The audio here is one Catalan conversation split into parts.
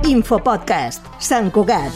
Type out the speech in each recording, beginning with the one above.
Infopodcast, Sant Cugat.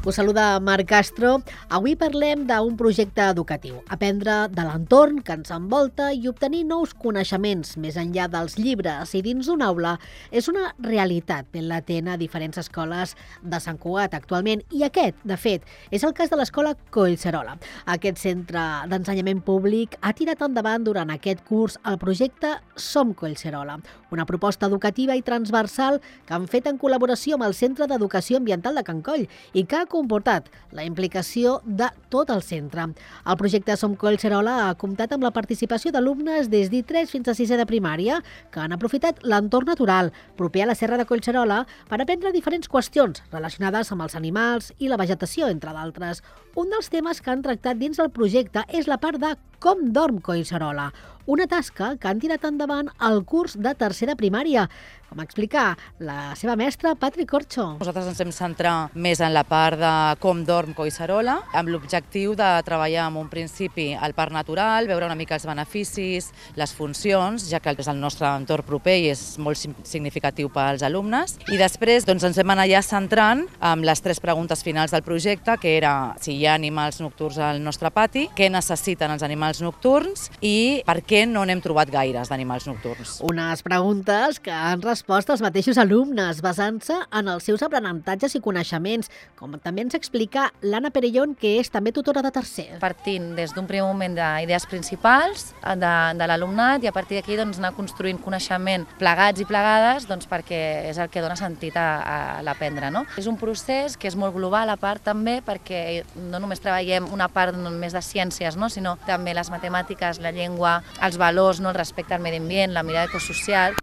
Us saluda Marc Castro. Avui parlem d'un projecte educatiu. Aprendre de l'entorn que ens envolta i obtenir nous coneixements més enllà dels llibres i dins d'una aula és una realitat ben latent a diferents escoles de Sant Cugat actualment. I aquest, de fet, és el cas de l'escola Collserola. Aquest centre d'ensenyament públic ha tirat endavant durant aquest curs el projecte Som Collserola, una proposta educativa i transversal que han fet en col·laboració amb el Centre d'Educació Ambiental de Can Coll i que ha comportat la implicació de tot el centre. El projecte Som Collserola ha comptat amb la participació d'alumnes des d'I3 fins a 6è de primària que han aprofitat l'entorn natural proper a la Serra de Collserola per aprendre diferents qüestions relacionades amb els animals i la vegetació, entre d'altres. Un dels temes que han tractat dins del projecte és la part de com dorm Collserola, una tasca que han tirat endavant al curs de 3è de primària, com explica la seva mestra, Patri Corcho. Nosaltres ens hem centrat més en la part de com dorm Collserola, amb l'objectiu de treballar en un principi el parc natural, veure una mica els beneficis, les funcions, ja que és el nostre entorn proper i és molt significatiu pels alumnes. I després ens hem anat ja centrant amb les 3 preguntes finals del projecte, que era si hi ha animals nocturns al nostre pati, què necessiten els animals nocturns i per què no n'hem trobat gaires d'animals nocturns. Unes preguntes que han respost els mateixos alumnes, basant-se en els seus aprenentatges i coneixements, com també ens explica l'Anna Perellón, que és també tutora de 3è. Partint des d'un primer moment d'idees principals de l'alumnat i a partir d'aquí anar construint coneixement plegats i plegades perquè és el que dona sentit a l'aprendre. No? És un procés que és molt global a part també perquè no només treballem una part només de ciències, no? Sinó també les matemàtiques, la llengua, els valors, no? El respecte al medi ambient, la mirada ecosocial.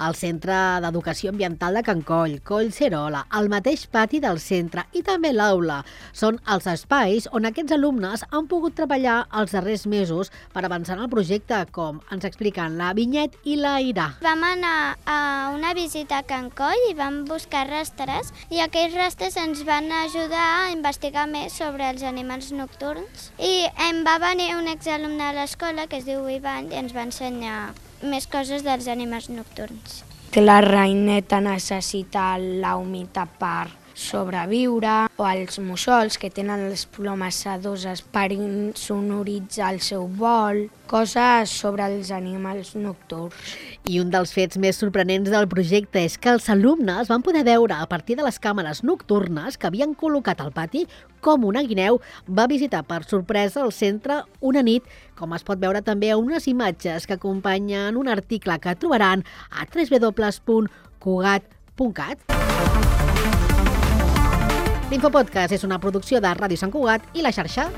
El Centre d'Educació Ambiental de Can Coll, Collserola, el mateix pati del centre i també l'aula són els espais on aquests alumnes han pogut treballar els darrers mesos per avançar en el projecte, com ens expliquen la Vinyet i la Ira. Vam anar a una visita a Can Coll i vam buscar rastres i aquells rastres ens van ajudar a investigar més sobre els animals nocturns i em va venir un exalumne a l'escola que es diu Ivan i ens va ensenyar més coses dels animals nocturns. Que la reineta necessita la humitat per sobreviure, o els mussols que tenen les plomes sedoses per insonoritzar el seu vol, coses sobre els animals nocturns. I un dels fets més sorprenents del projecte és que els alumnes van poder veure a partir de les càmeres nocturnes que havien col·locat al pati com una guineu va visitar per sorpresa el centre una nit, com es pot veure també a unes imatges que acompanyen un article que trobaran a www.cugat.cat. L'Infopodcast és una producció de Ràdio Sant Cugat i la xarxa.